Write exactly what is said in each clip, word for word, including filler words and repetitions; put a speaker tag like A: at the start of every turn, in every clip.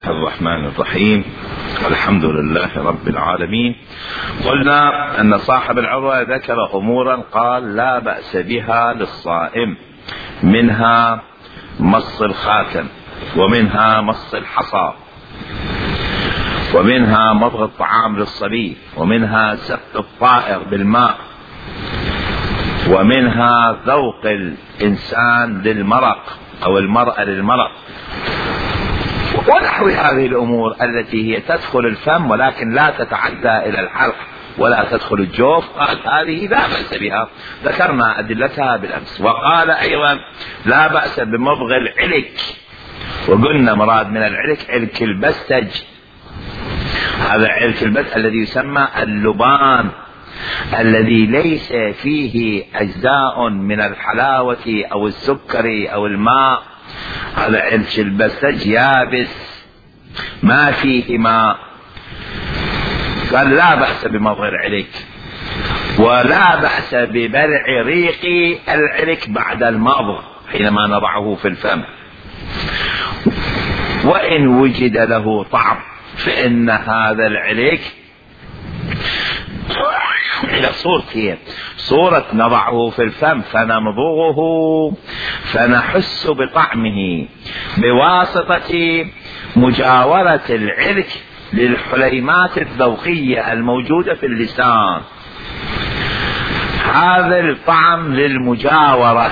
A: الرحمن الرحيم. الحمد لله رب العالمين. قلنا أن صاحب العروة ذكر أمورا قال لا بأس بها للصائم، منها مص الخاتم، ومنها مص الحصى، ومنها مضغ الطعام للصبي، ومنها سقط الطائر بالماء، ومنها ذوق الإنسان للمرق أو المرأة للمرق، ونحو هذه الأمور التي هي تدخل الفم ولكن لا تتعدى إلى الحلق ولا تدخل الجوف. قال هذه لا بأس بها، ذكرنا أدلتها بالأمس. وقال أيضا لا بأس بمضغ العلك، وقلنا مراد من العلك علك البستج، هذا علك البستج الذي يسمى اللبان، الذي ليس فيه أجزاء من الحلاوة أو السكر أو الماء، هذا علك البستج يابس ما فيه ماء. قال لا بأس بمضغ العلك، ولا بأس ببلع ريق العلك بعد المضغ حينما نضعه في الفم، وإن وجد له طعم فإن هذا العلك إلى صورتين: صورة نضعه في الفم فنمضغه فنحس بطعمه بواسطة مجاورة العلك للحليمات الذوقية الموجودة في اللسان، هذا الطعم للمجاورة،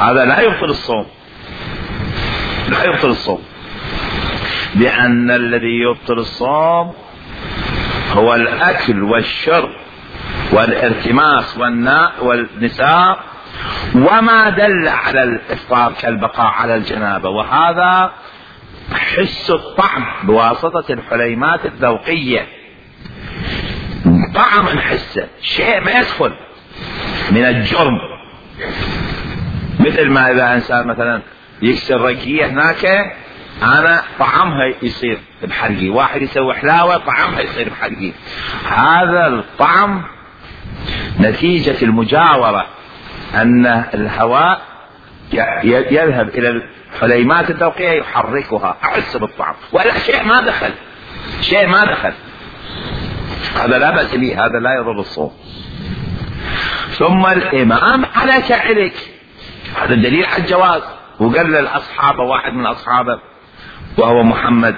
A: هذا لا يبطل الصوم، لا يبطل الصوم، لأن الذي يبطل الصوم هو الأكل والشرب والارتماس والنساء وما دل على الإفطار كالبقاء على الجنابة، وهذا حس الطعم بواسطة الحليمات الذوقية، طعم نحسه، شيء ما يدخل من الجرم، مثل ما إذا إنسان مثلا يكسر رقية هناك أنا طعمها يصير بحلقي، واحد يسوي حلاوة طعمها يصير بحلقي، هذا الطعم نتيجة المجاورة، أن الهواء يذهب إلى الحليمات الذوقية يحركها، أحس بالطعم، ولا شيء ما دخل، شيء ما دخل، هذا لا بأس به، هذا لا يضر الصوم. ثم الإمام على كعلك، هذا دليل على الجواز. وقال للأصحاب واحد من أصحابه وهو محمد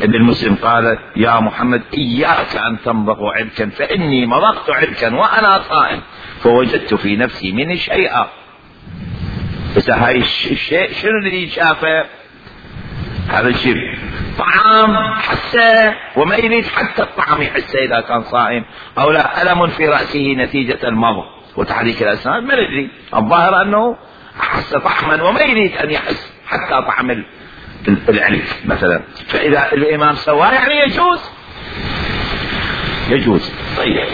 A: ابن مسلم قال يا محمد إياك أن تمضغ علكا فإني مضغت علكا وأنا صائم فوجدت في نفسي منه شيئا. بس هاي الشيء شنو اللي شافه؟ هذا الشيء طعام حسه وما يريد حتى الطعم يحسه إذا كان صائم، أو لا ألم في رأسه نتيجة المضغ وتحريك الأسنان، ما ندري، الظاهر أنه أحس طعما وما يريد أن يحس حتى طعم العلك مثلا، فإذا الإمام سواه يعني يجوز، يجوز. طيب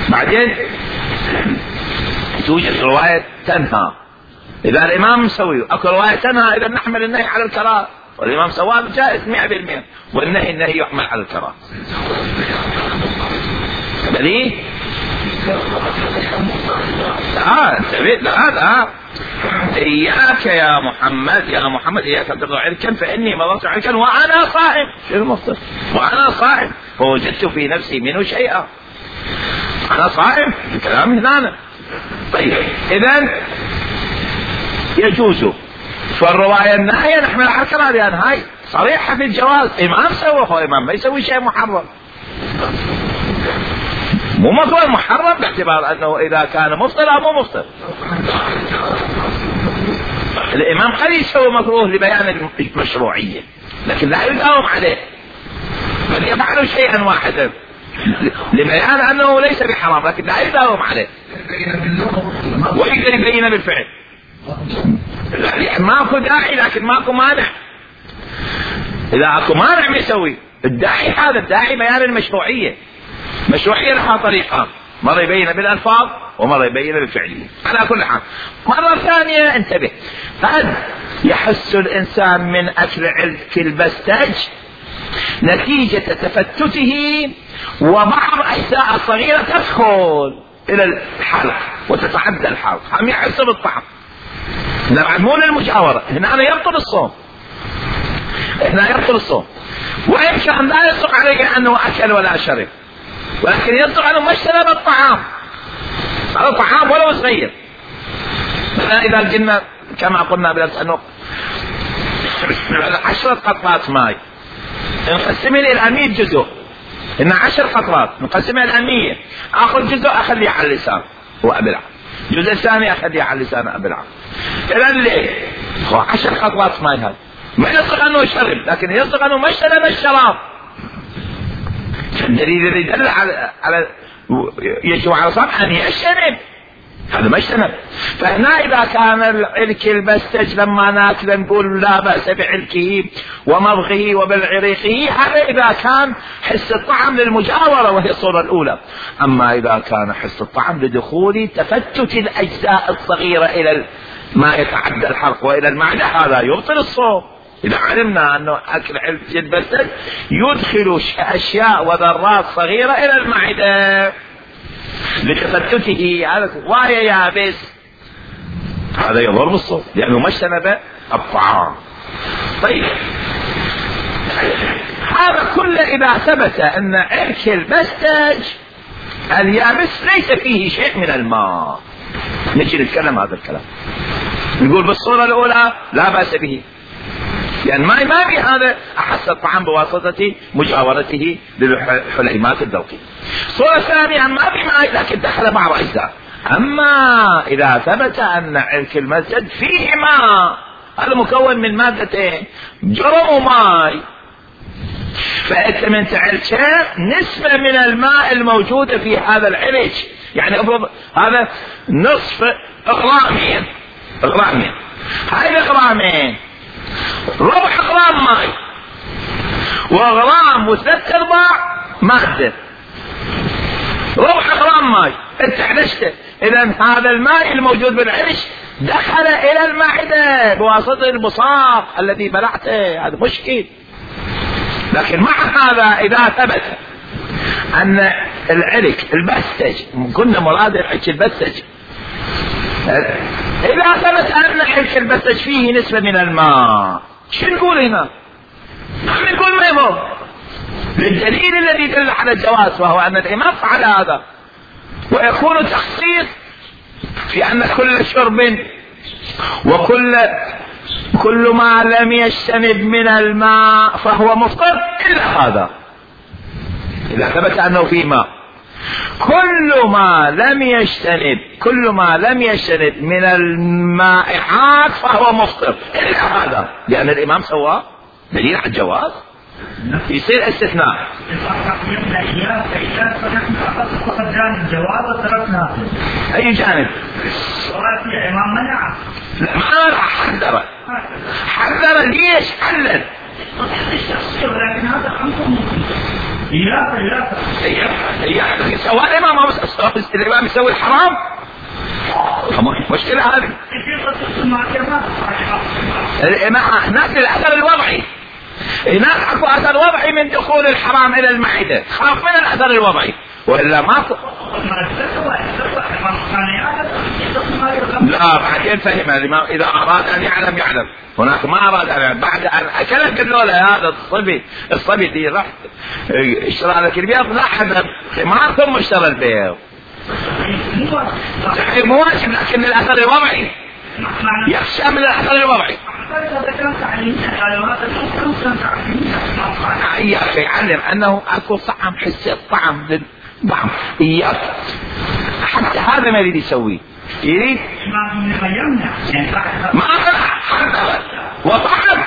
A: بعدين توجد رواية تنهى، إذا الإمام مسوي أكو رواية تنهى، إذا نحمل النهي على الكراهة، والإمام سواه جائز مئة بالمئة، والنهي النهي يحمل على الكراهة. بليه اه انتبه هذا إياك يا محمد، يا محمد إياك أن تمضغ علكا فإني مضغت علكا وأنا صائم، شو المفصل؟ وأنا صائم فوجدت في نفسي منه شيئا، أنا صائم، الكلام هنا. طيب إذن يجوز، فالرواية النهاية نحمل على الكراهة، لأن هاي صريحة في الجواز، إمام سوى، هو إمام ما يسوي شيء محرم، مو مفطر محرم باعتبار أنه إذا كان مفطر أو مو مفطر. الإمام قد يسوي مكروه لبيان المشروعية لكن لا يداوم عليه، بل يفعل شيئا واحدا لبيان أنه ليس بحرام لكن لا يداوم عليه، ويقدر يبين بالفعل. ماكو داعي لكن ماكو مانع، إذا اكو مانع ما يسوي. الداعي هذا الداعي بيان المشروعية، مشروعية لها طريقان، مرة يبين بالألفاظ ومرة يبين بالفعلية. على كل حال مرة ثانية انتبه، قد يحس الإنسان من أكل علك البستج نتيجة تفتته وبعض أجزاء صغيرة تدخل إلى الحلق وتتعدى الحلق، هم يحس بالطعم، هنا بعد مو للمجاورة، هنا أنا يبطل الصوم. هنا يبطل الصوم، وإن كان لا يصدق عليه أنه أكل ولا شرب، ولكن يصدق أنه ما اشترب الطعام، هذا طعام ولو صغير. إذا قلنا كما قلنا بالأمس أنه عشرة قطرات ماء نقسمها إلى مئة جزء، إن عشر قطرات نقسمها إلى مئة، آخذ جزء أخليه على اللسان وأبلع، الجزء الثاني أخليه على اللسان وأبلع. إذا ليه؟ هو عشر قطرات ماء، هذا ما يصدق أنه شرب، لكن يصدق أنه ما اشترب الشراب. الدليل الذي يدل على على يجب على صبح أن يشترب، هذا ما اشتنب. فهنا إذا كان العرك البستج لما ناكل نقول لا بأس بعركه ومضغه وبالعريقه، هذا إذا كان حس الطعم للمجاورة وهي الصورة الأولى. أما إذا كان حس الطعم لدخول تفتت الأجزاء الصغيرة إلى ما يتعدى الحلق وإلى المعدة، هذا يبطل الصوم. إذا علمنا أنه أكل عرك البستج يدخل أشياء وذرات صغيرة إلى المعدة لتفتته، هذا وهي يابس، هذا يضر بالصوم لأنه ما اجتنب الطعام. طيب هذا كله إذا ثبت أن عرك البستج اليابس ليس فيه شيء من الماء، نجي نتكلم هذا الكلام، نقول بالصورة الأولى لا بأس به، لأن ما ما في هذا أحس الطعام بواسطة مجاورته للحليمات الذوقية. الصورة الثانية ما في ماء لكن دخل بعض أجزاء. أما إذا ثبت أن عرك المسجد فيه ماء، هذا مكون من مادتين جرم وماء، فأنت من تعرك نسبة من الماء الموجودة في هذا العرك، يعني أفرض هذا نصف غرامين غرامين هاي الغرامين ربع غرام ماء وغرام وثلاث ارباع مادة، ربع غرام ماء انت حدشته، اذا هذا الماء الموجود بالعرش دخل الى المعدة بواسطة البصاق الذي بلعته، هذا مشكل. لكن مع هذا اذا ثبت ان العرك البستج، قلنا مراد العرك البستج، إذا ثبت أن عرك البستج فيه نسبة من الماء، شو نقول هنا؟ نقول ما يضر، للدليل الذي يدل على الجواز، وهو أن الإمام فعل هذا، ويكون تخصيص في أن كل شرب وكل كل ما لم يجتنب من الماء فهو مفطر إلا هذا، إذا ثبت أنه فيه ماء. كل ما لم يجتنب كل ما لم يجتنب من المائعات فهو مفطر إلا هذا، لأن الإمام سواه دليل على الجواز، يصير استثناء. أي جانب؟
B: الإمام منع،
A: ما حذر حذر ليش حلل؟
B: لكن هذا خمسة إياه إياه
A: إياه سواء الإمام الإمام يسوي الحرام، مشكلة هذه. الإمام هناك الأثر الوضعي، هناك أكو أثر وضعي من دخول الحرام إلى المعدة، خاف من الأثر الوضعي، وإلا ماكو. لا بعدين فهم الإمام إذا أراد أن يعلم يعلم، هناك ما أراد أن يعلم، بعد أن أكلك اللولة هذا الصبي الصبي دي راح اشترى لك البيض، لا حذر خمار ثم اشترى البيض، صحيح مو واجب، لكن الأثر الوضعي يخشى من الأثر الوضعي. إياك يعلم أنه أكو طعم، حس الطعم للطعم، إياك حتى هذا ما يريد يسويه، يريد ما حذر وطعم،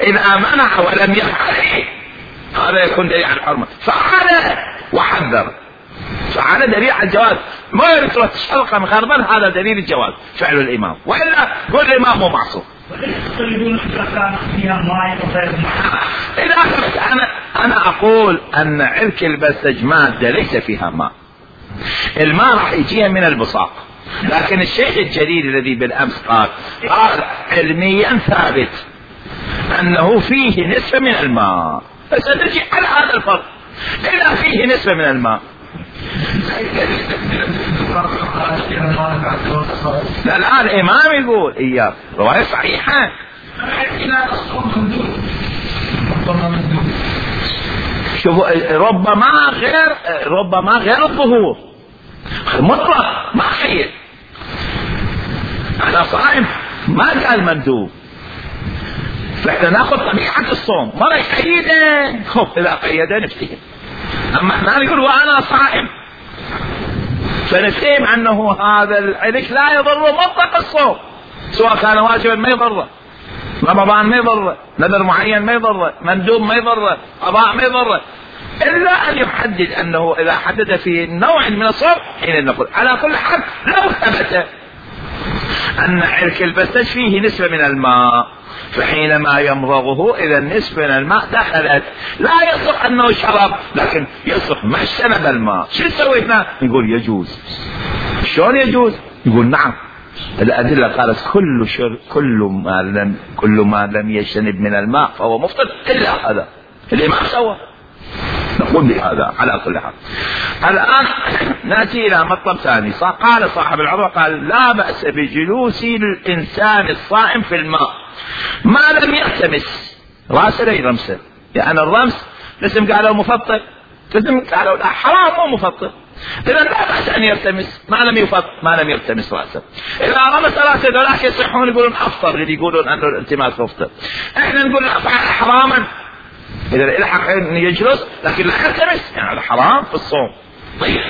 A: إذا منع ولم يفعل هذا يكون دليل على الحرمة، فعل وحذر، فعل دليل على الجواز، ما يريد تشتلق من غربا، هذا دليل الجواز فعل الإمام، وإلا قول الإمام مو معصوم. إذا أنا أنا أقول أن عرك البستج مادة ليس فيها ماء، الماء راح يجيها من البصاق، لكن الشيخ الجليل الذي بالأمس قال قال علميا ثابت أنه فيه نسبة من الماء، فسنجي على هذا الفرق، إذا فيه نسبة من الماء. لا لا الإمام يقول إياه رواية صحيحة، شوفوا ربما غير ربما غير الظهور مطلق ما قيد. أنا صائم ما قال مندوب، فإحنا ناخذ طبيعة الصوم مرة يقيده. خب إذا قيده نفتهم، أما احنا نقول وأنا صائم فنفهم أنه هذا العلك لا يضر مطلق الصوم، سواء كان واجبا ما يضره، رمضان ما يضره، نذر معين ما يضره، مندوب ما يضره، قضاء ما يضره، إلا أن يحدد أنه إذا حدد في نوع من الصوم حين نقول. على كل حال لو ثبت أن عرك البستج فيه نسبة من الماء، فحينما يمضغه إذا النسبة من الماء دخلت، لا يصح أنه شرب، لكن يصح ما شرب الماء. شو نسوي هنا؟ نقول يجوز. شلون يجوز؟ يقول نعم، الأدلة قالت كل شر كل ما لم كل ما لم يجتنب من الماء فهو مفطر إلا هذا اللي ما سوى. نقول بهذا على كل حال. الآن نأتي إلى مطلب ثاني. قال صاحب العروة قال لا بأس بجلوس الإنسان الصائم في الماء ما لم يلتمس رأسه لا يرمسه، يعني الرمس لسم قالوا مفطر، لسم قالوا لا حرام مو مفطر، إذا لا بأس أن يلتمس ما لم يفط ما لم يلتمس رأسه. إذا رمس رأسه ذولاك يصحون يقولون أفطر، اللي يقولون أنه الالتماس مفطر، إحنا نقول حراما إذا الحق أن يجلس لكن لا يلتمس، يعني هذا حرام في الصوم. طيب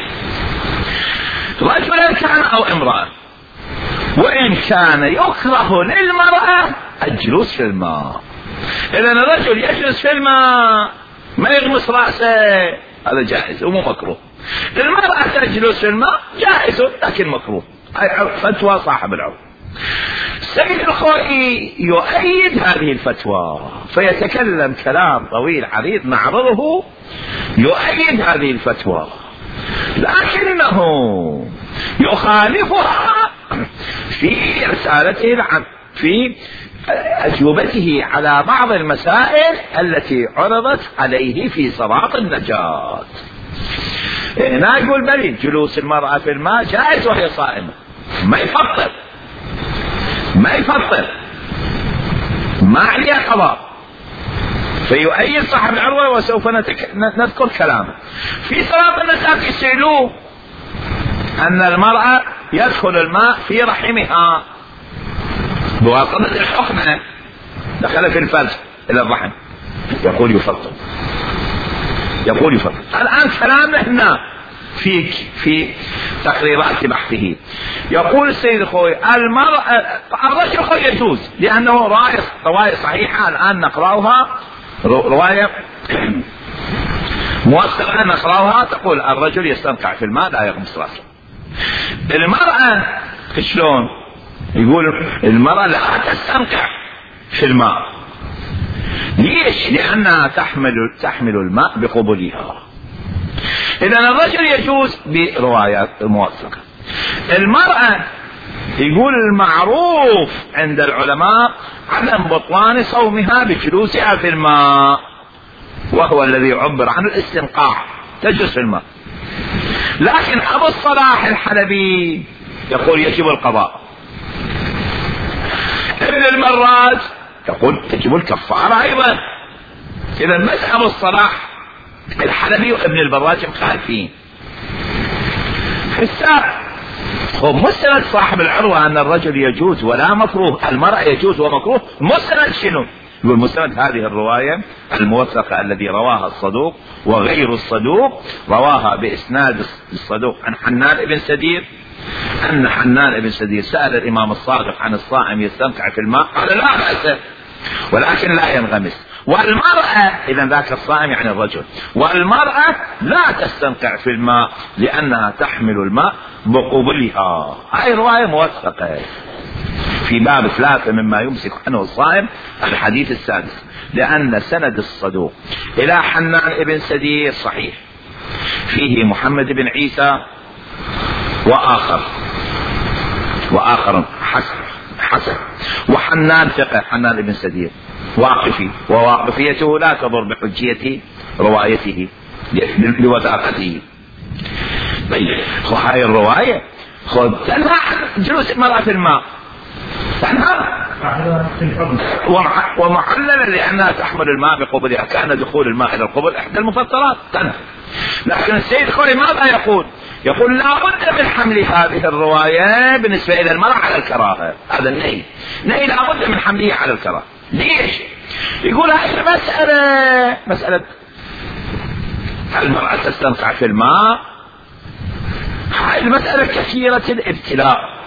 A: رجلا كان أو امرأة، وإن كان يكره للمرأة الجلوس في الماء، إذا الرجل يجلس في الماء ما يغمس رأسه هذا جائز ومو مكروه، المرأة تجلس في الماء جائز لكن مكروه. فتوى صاحب العروة. سيد الخوئي يؤيد هذه الفتوى فيتكلم كلام طويل عريض نعرضه يؤيد هذه الفتوى، لكنه يخالفها في رسالته العام في أجوبته على بعض المسائل التي عرضت عليه في صراط النجاة. هنا يقول بلي جلوس المرأة في الماء جائز وهي صائمة، ما يفطر ما يفطر ما عليها قضاء، فيؤيد صاحب العروة وسوف نتك... نذكر كلامه. في صراط النجاة يسألوه أن المرأة يدخل الماء في رحمها بواسطة الحقنة، دخل في الفرج إلى الرحم، يقول يفطر يقول يفطر. الآن كلامنا هنا في في تقريرات بحثه. يقول السيد الخوي المرأة الرجل خوي يجوز لأنه رواية رواية صحيحة الآن نقرأها، رواية موثقة نقرأها تقول الرجل يستنقع في الماء لا يغمس رأسه. المرأة شلون؟ يقول المرأة لا تستنقع في الماء. ليش؟ لأنها تحمل تحمل الماء بقبولها. إذا الرجل يجوز بروايات موثقة. المرأة يقول المعروف عند العلماء عدم بطلان صومها بجلوسها في الماء، وهو الذي يعبر عن الاستنقاع، تجلس في الماء. لكن أبو الصلاح الحلبي يقول يجب القضاء. ابن المراز يقول تجب الكفارة أيضا. إذا مذهب الصلاح الحلبي وابن البراج مخالفين. السابع هو مستند صاحب العروة أن الرجل يجوز ولا مكروه، المرأة يجوز ومكروه. مستند شنو؟ يقول مستند هذه الرواية الموثقة الذي رواها الصدوق وغير الصدوق، رواها بإسناد الصدوق عن حنان بن سدير أن حنان بن سدير سأل الإمام الصادق عن الصائم يستنقع في الماء، قال لا بأس ولكن لا ينغمس. والمرأة إذا ذاك الصائم يعني الرجل، والمرأة لا تستنقع في الماء لأنها تحمل الماء بقبلها. هاي رواية موثقة في باب ثلاثة مما يمسك عنه الصائم الحديث السادس، لأن سند الصدوق إلى حنان بن سدير صحيح، فيه محمد بن عيسى وآخر وآخر حسن حسن وحنان ثقة، حنان بن سدير واقفي، وواقفيته لا تضر بحجية روايته لوثاقته. طيب هاي الرواية خذ تنهى عن جلوس المرأة في الماء، تنهى ومعللة لأنها تحمل الماء بقبلها، كان دخول الماء إلى القبل إحدى المفطرات تنفي. لكن السيد الخوئي ماذا يقول؟ يقول لا بد من حمل هذه الرواية بالنسبة إلى المرأة على الكراهة. هذا النهي، نهي لا بد من حمله على الكراهة. ليش؟ يقول هذه مسألة مسألة المرأة تستنقع في الماء، هذه المسألة كثيرة الابتلاء،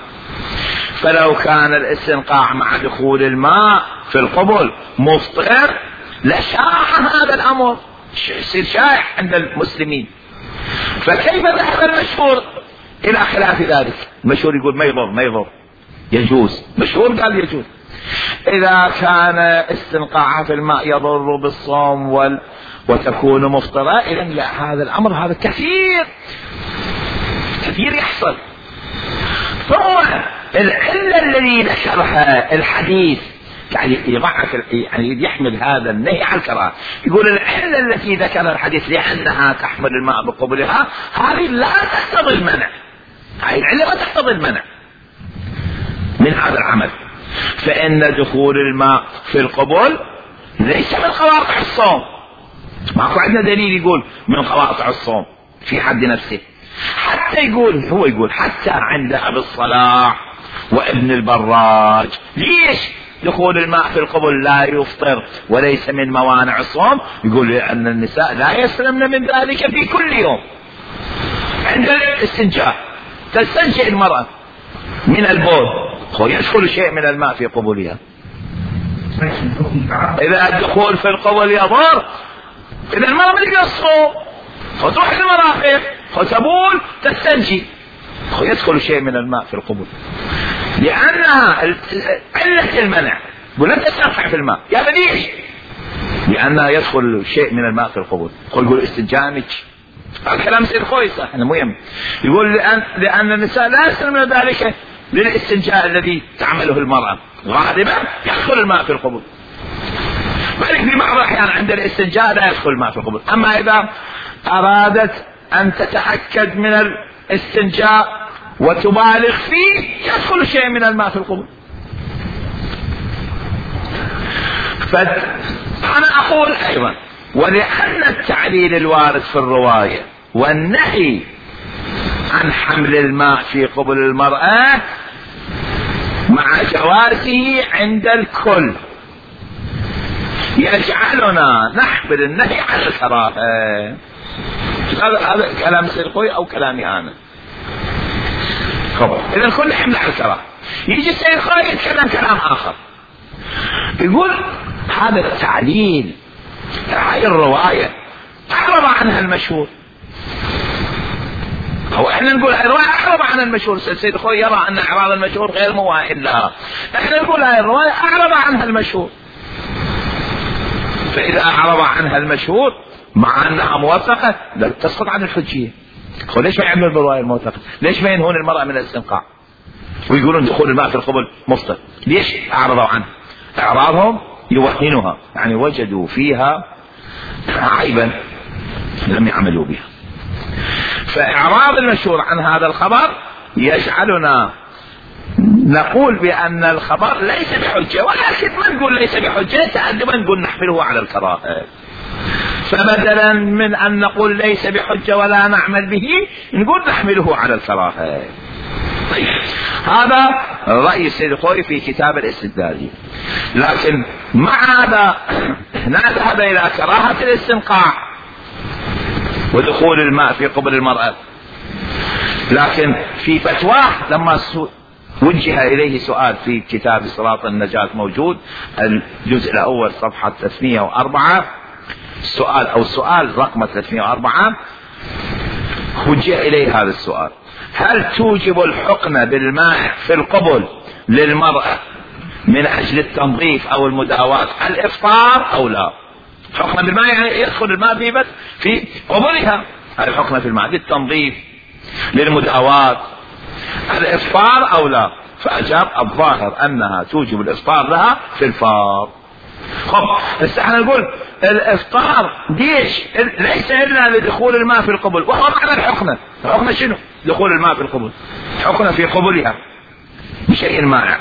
A: فلو كان الاستنقاع مع دخول الماء في القبل مفطر لشاع هذا الأمر، يصير شائع عند المسلمين. فكيف ذهب المشهور إلى خلاف ذلك؟ المشهور يقول ما يضر ما يضر يجوز، مشهور قال يجوز. إذا كان استنقاعها في الماء يضر بالصوم وال... وتكون مفطرة، إذن لا، هذا الأمر هذا كثير كثير يحصل. ثم العلة الذي ذكرها الحديث يعني يضعف، يعني يحمل هذا النهي عن الكراهة. يقول العلة التي ذكرها الحديث لأنها تحمل الماء بقبلها، هذه لا تقتضي المنع، هذه العلة لا تقتضي المنع من هذا العمل. فإن دخول الماء في القبل ليس من قواطع الصوم، ماكو عندنا دليل يقول من قواطع الصوم في حد نفسه. حتى يقول هو يقول حتى عند أبي الصلاح وابن البراج، ليش دخول الماء في القبل لا يفطر وليس من موانع الصوم؟ يقول لأن النساء لا يسلمن من ذلك في كل يوم. عند الاستنجاء تستنجئ المرأة من البول، يدخل شيء من الماء في قبولها. إذا الدخول في القبل يضر، إذا المرأة ما تقدر تصوم، فتروح المرافق فتبول تستنجي، يدخل شيء من الماء في القبول، لأنها علة المنع. ولا تستنقع في الماء، يا ليش؟ لأنها يدخل شيء من الماء في القبول. يقول استنجامك، الكلام سيد خوي صح مهم. يقول لأن, لأن النساء لا يسلمن ذلك للاستنجاء الذي تعمله المرأة، غالبا يدخل الماء في القبول. ولكن في بعض الأحيان عند الاستنجاء لا يدخل الماء في القبول. أما إذا أرادت أن تتأكد من الاستنجاء وتبالغ فيه، يدخل شيء من الماء في القبول. فأنا أقول أيضا، ولأن التعليل الوارد في الرواية والنهي عن حمل الماء في قبل المرأة مع جوازه عند الكل يجعلنا نحمل النهي على الكراهة. هذا كلام سيد خوي أو كلامي أنا؟ إذا الكل حمل على الكراهة. يجي سيد خوي يتكلم كلام آخر، يقول هذا التعليل، هاي الرواية أعرض عنها المشهور، هو احنا نقول هاي الرواية أعرض عنها المشهور. سيد خوي يرى أن إعراض المشهور غير موائل لها، احنا نقول هاي الرواية أعرض عنها المشهور. فإذا أعرض عنها المشهور مع أنها موثقة لا تسقط عن الحجية. ليش ما يعمل بالرواية الموثقة؟ ليش ما ينهون المرأة من الاستنقاع ويقولون دخول الماء في القبل مفطر؟ ليش أعرضوا عنه؟ إعراضهم يوهنها، يعني وجدوا فيها عيبا لم يعملوا بها. فإعراض المشهور عن هذا الخبر يجعلنا نقول بأن الخبر ليس بحجة، ولكن ما نقول ليس بحجة تأدبا نقول نحمله على الكراهة. فبدلا من أن نقول ليس بحجة ولا نعمل به، نقول نحمله على الكراهة. طيب، هذا رأي السيد الخوئي في كتاب الاستدلال. لكن مع هذا نذهب إلى كراهة الاستنقاع ودخول الماء في قبل المرأة. لكن في فتواه لما وجه إليه سؤال في كتاب صراط النجاة موجود الجزء الأول صفحة ثلاثمائة وأربعة، السؤال أو السؤال رقم ثلاثمائة وأربعة، وجه إليه هذا السؤال: هل توجب الحقنة بالماء في القبل للمرأة من أجل التنظيف أو المداواة الإفطار أو لا؟ حقنة بالماء يعني يدخل الماء في بس في قبلها، هذه الحقنة في الماء للتنظيف للمداواة الإفطار أو لا؟ فأجاب الظاهر أنها توجب الإفطار لها في الفار. خب بس احنا نقول الإفطار ليش؟ ليس إلا لدخول الماء في القبل، وهو معنى الحقنة. الحقنة شنو؟ دخول الماء في القبل، حقنة في قبلها بشيء مانع.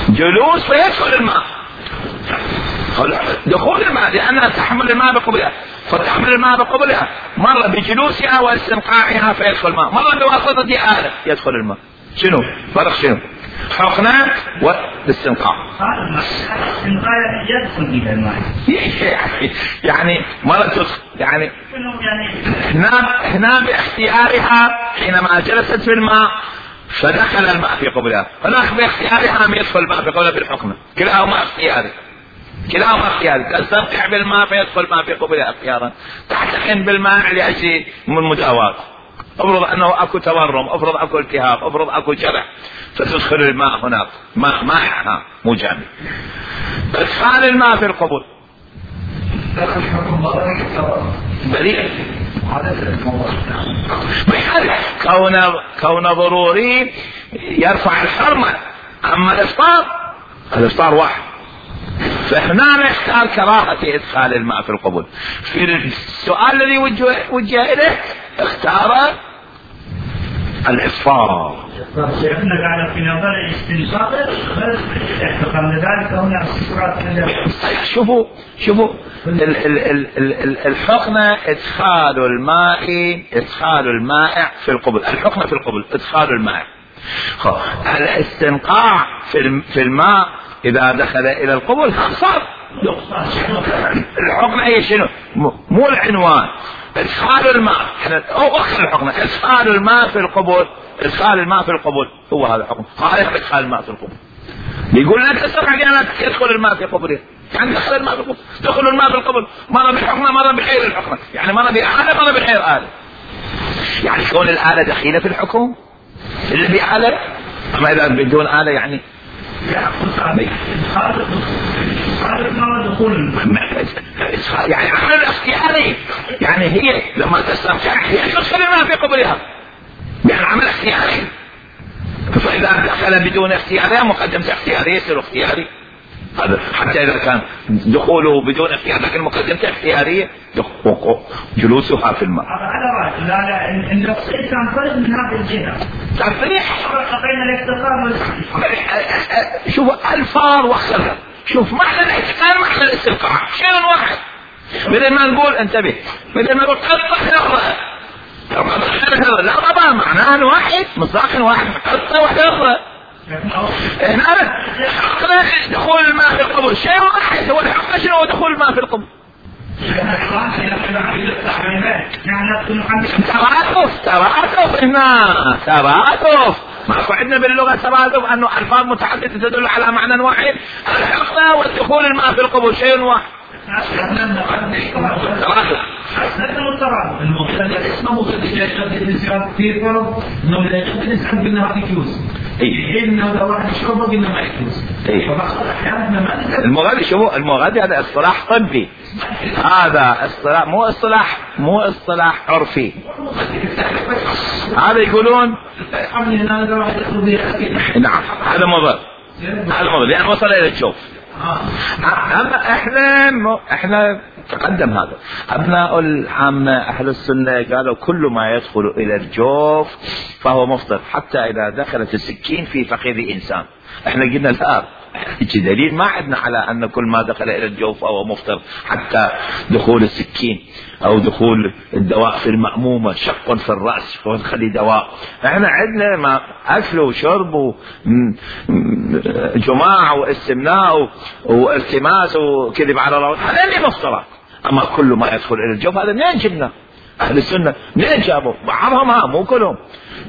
A: جلوس فيدخل الماء، دخول الماء لأنها تحمل الماء بقبلها، فتحمل الماء بقبلها مرة بجلوسها واستنقاعها فيدخل الماء، مرة بواسطة آلة يدخل الماء. شنو فرق؟ شنو حقنة والاستنقاع؟
B: الاستنقاع يدخل إلى الماء
A: يعني مرة تدخل يعني هنا هنا باختيارها حينما جلست في الماء فدخل الماء في قبلها، هناك باختيارها ما يدخل الماء في قبلها بالحقنة. كلاهما اختياري، كلاهما اختياري. تستمتع بالماء فيدخل الماء في قبلها اختيارا، تحتقن بالماء لأجل من مداواة، افرض انه اكو تورم، افرض اكو التهاب، افرض اكو جرح، فتدخل الماء هناك ماء مائع مو جامد. ادخال الماء في القبول بريء كون كون ضروري يرفع الحرمة. اما الافطار الافطار واحد، فهنا نختار كراهة ادخال الماء في القبول. في السؤال الذي وجه, وجه اليه اختار الافطار.
B: شيخنا قال في نظر الاستنشاق اعتقد ذلك هنا استفراغ.
A: شوفوا شوفوا الحقنة ادخال الماء، ادخال المائع في القبل. الحقنة في القبل ادخال الماء. الاستنقاع في الماء اذا دخل الى القبل صار الحقنة هي شنو؟ مو العنوان. ادخال الماء او اخر الحقنة ادخال الماء في القبل. ادخال الماء في القبول هو هذا الحكم. هذا ادخال الماء في القبول. يقول لك تستطيع ان يدخل الماء في قبوله، يعني دخل الماء في القبول، دخل الماء في القبول مرة بالحكمة مرة بغير الحكمة، يعني مرة بآلة مرة بغير آلة. يعني كون الآلة دخيلة في الحكم اللي بآلة، اما اذا بدون آلة يعني يعني عمل اختياري، يعني هي لما تستمتع هي تدخل الماء في قبولها، يعني عمل اختياري. فإذا دخل بدون اختيارية مقدمة اختيارية يصير اختياري. هذا حتى إذا كان دخوله بدون اختيار لكن مقدمة اختيارية جلوسها في الماء.
B: على رأي لا لا النفسية كان فرق من هذه الجهة.
A: تعرفين
B: بين الافتقار
A: شوف الفار واختلف. شوف معنى الاحتقار معنى الاستنقاع شيء واحد. بدل ما نقول انتبه، بدل ما نقول قطع لحظة لا طبعا معناه واحد مصداق واحد قطة واحدة أخرى. هنا دخول الماء في القبر شيء واحد، هو الحق شنو هو دخول الماء في القبر؟ تراتف تراتف هنا تراتف. ما عندنا باللغة تراتف أنه ألفاظ متعددة تدل على معنى واحد. الحقنا والدخول الماء في القبر شيء واحد.
B: المختلف اسمه مختلف في فرق انه لا يقدر يسحب منها فيكيوز اي انه لو واحد يشربه قلنا ما يكيوز.
A: المغذي شوفوا المغذي هذا اصطلاح طبي، هذا اصطلاح مو اصطلاح مو اصطلاح عرفي. هذا يقولون نعم هذا مضر، هذا مضر لأن وصل إلى الجوف. أما إحنا إحنا تقدم هذا أبناء العامة أهل السنة قالوا كل ما يدخل إلى الجوف فهو مفطر حتى إذا دخلت السكين في فخذ إنسان. إحنا قلنا لا، دليل ما عندنا على أن كل ما دخل إلى الجوف فهو مفطر حتى دخول السكين أو دخول الدواء في المأمومة، شق في الرأس فنخلي دواء. احنا عندنا ما أكل وشرب وجماع واستمناء والتماس وكذب على الله، هذا اللي مفطرات. أما كل ما يدخل إلى الجوف هذا منين جبنا؟ أهل السنة منين جابوا؟ بعضهم ها مو كلهم.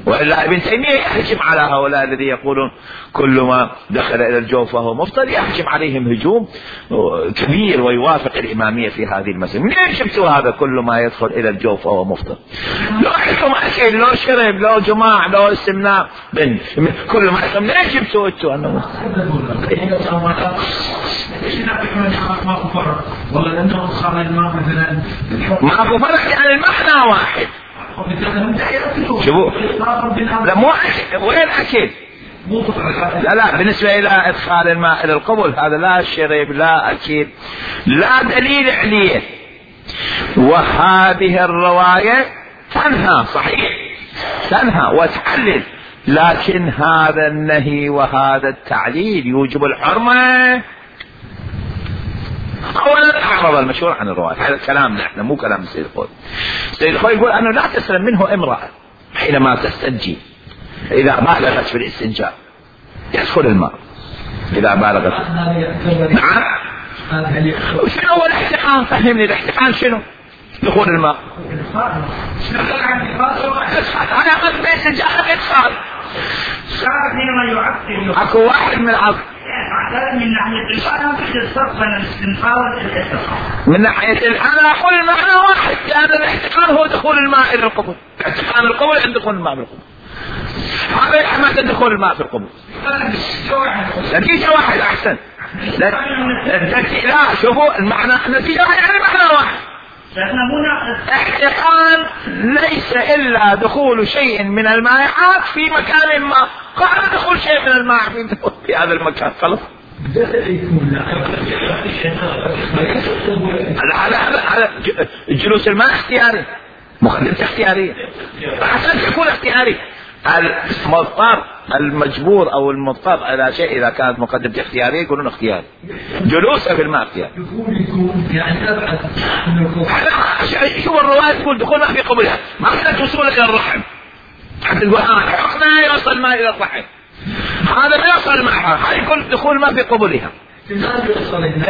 A: وإلا ابن تيمية يحجم على هؤلاء الذين يقولون كل ما دخل إلى الجوف فهو مفطر، يحجم عليهم هجوم كبير ويوافق الإمامية في هذه المسألة. منين جبتوا هذا كل ما يدخل إلى الجوف فهو مفطر؟ لو حكم أكل لو شرب لو جماع لو استمناء من كل ما يدخل منين جبتوا أنتوا أنه
B: ماكو فرق؟ والله لأنه خرج الماء مثلا
A: ماكو فرق يعني المعنى واحد. شوفوا لا مو وين أكل لا لا بالنسبة إلى إدخال الماء إلى القبول هذا لا شرب لا أكل لا دليل عليه. وهذه الرواية تنهى صحيح تنهى وتحلل لكن هذا النهي وهذا التعليل يوجب الحرمة. أولا أعرض المشهور عن الرواية، هذا كلامنا احنا مو كلام السيد الخوي. السيد الخوي يقول أنه لا تسلم منه امرأة حينما تستنجي إذا بالغت في الاستنجاء يدخل الماء إذا بالغت. نعم. شنو هو الاحتقان؟ فهمني الاحتقان شنو؟ دخول الماء. أنا أخذ بيت الجاهل إدخال.
B: حينما يعطل
A: أكو واحد من العصر
B: من ناحية الفهم في الصرف بين الاستنقاذ والاحتقان.
A: من ناحية أنا أقول المعنى واحد، لأن الاحتقان هو دخول الماء إلى القبر. احتقان القبر عند دخول الماء بالقبر. هذا يحمل دخول الماء في القبر. نتيجة واحد أحسن. لا شوفوا المعنى نتيجة واحد يعني معنى واحد. احتقان ليس إلا دخول شيء من المائعات في مكان ما. قال دخول شيء من الماء في هذا المكان خلاص. على على على جلوس الماء اختياري، مقدمة اختيارية عشان تكون اختياري. المضطر المجبور او المضطر على شيء اذا كانت مقدمة اختيارية يقولون اختياري. جلوسه في الماء اختياري. شو الرواية تقول دخول ما في قبلها، ما كانت وصول الى الرحم حتى تقول اه حقنا يوصل الماء الى الرحم، هذا ما يوصل معها، هذا يكون دخول ما في قبلها.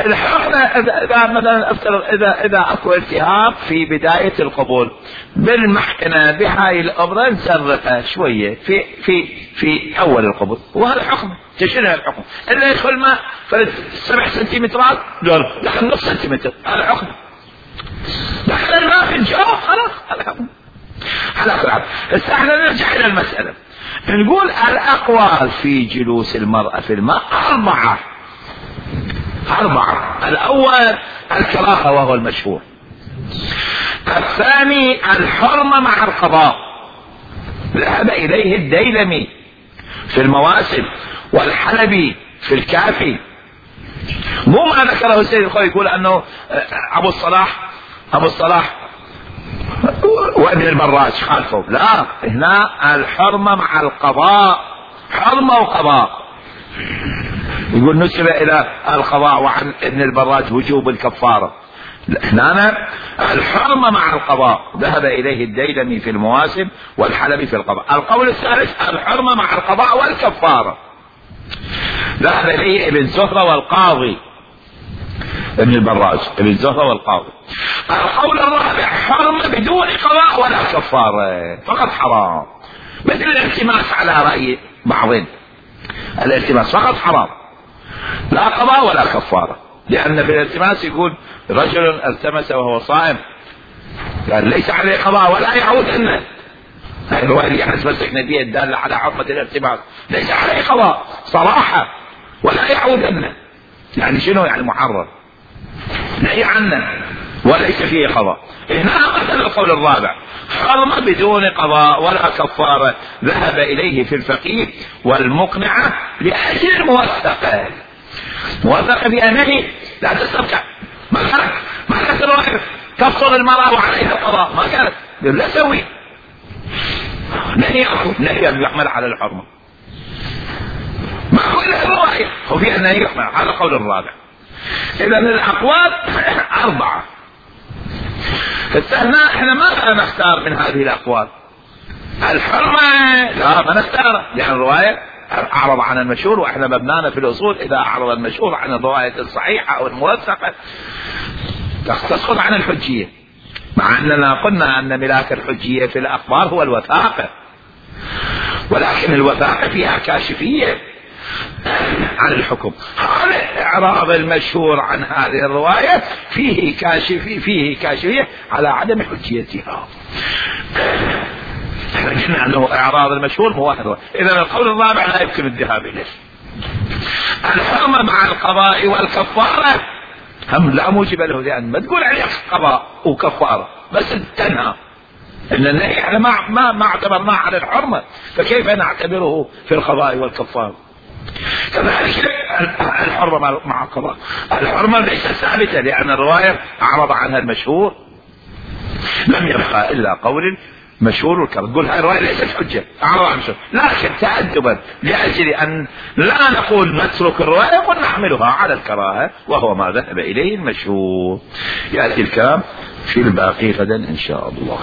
A: الحقنة إذا مثلا أفترض إذا إذا أكو التهاب في بداية القبول بالمحكنة بهاي الأمر نسرقها شوية في في في أول القبول، وهذا حكم تشيلها الحكم. إلا يدخل ما سبع سنتيمترات لا دخل نص سنتيمتر هذا حكم. دخل الماء في الجو خلاص هذا حكم. على كل حال هسه احنا نرجع إلى المسألة، نقول الأقوال في جلوس المرأة في الماء أربعة. أربعة. الأول الكراهة وهو المشهور. الثاني الحرمة مع القضاء، ذهب إليه الديلمي في المواسم والحلبي في الكافي. مو ما ذكره السيد الخوي يقول أنه أبو الصلاح أبو الصلاح وابن البراج خالفه، لا هنا الحرمة مع القضاء، حرمة وقضاء. يقول نسب الى القضاء وعن ابن البراج وجوب الكفارة. هنا الحرمة مع القضاء، ذهب اليه الديلمي في المواسم والحلبي في القضاء. القول الثالث الحرمة مع القضاء والكفارة، ذهب اليه ابن زهرة والقاضي ابن البراج ابن زهرة والقاضي. القول الرابع حرمة بدون قضاء ولا كفارة، فقط حرام، مثل الالتماس على رأي بعضهم، الالتماس فقط حرام لا قضاء ولا كفارة، لأن في الالتماس يقول رجل التمس وهو صائم قال ليس عليه قضاء ولا يعود عنه. هاي الرواية اللي احنا تمسكنا بها الدالة على حرمة الالتماس، ليس عليه قضاء صراحة ولا يعود عنه، يعني شنو يعني محرم نهي عنه وليس فيه قضاء. هنا مثل القول الرابع حرمة بدون قضاء ولا كفارة، ذهب إليه في الفقيه والمقنعة لأجل الموثقة، موثقة بأنه لا تستبقى، ما كانت ما كانت الرواية تفصل المرأة وعليها القضاء، ما كانت لا سوي نهي نهي يحمل على الحرمة، ما كل الرواية هو فيها نهي يحمل على القول الرابع. إذا الأقوال أربعة. فاستهنا احنا ما نختار من هذه الأقوال. الحرمة لا ما نختار، لأن الرواية أعرض عن المشهور، وإحنا مبنانا في الأصول إذا أعرض المشهور عن الرواية الصحيحة أو الموثقة تسقط عن الحجية، مع أننا قلنا أن ملاك الحجية في الأخبار هو الوثاقة، ولكن الوثاقة فيها كاشفية عن الحكم. هذا إعراض المشهور عن هذه الرواية فيه كاشفية فيه كاشفية على عدم حجيتها. احنا قلنا انه اعراض المشهور هو واحد. اذا القول الرابع لا يمكن الذهاب اليه. الحرمة مع القضاء والكفارة هم لا موجب له، لان ما تقول عليه قضاء وكفارة بس تنهى ان النهي احنا ما ما ما اعتبرناه على الحرمة، فكيف نعتبره في القضاء والكفارة؟ كذلك الحرمة مع القضاء، الحرمة ليست ثابتة لان الرواية اعرض عنها المشهور، لم يبقى الا قول مشهور والكراهة، تقول هاي الرواية ليست حجة، لكن تأدبا لأجل أن لا نقول نترك الرواية ونحملها على الكراهة، وهو ما ذهب إليه المشهور. يأتي الكلام في الباقي غدا إن شاء الله.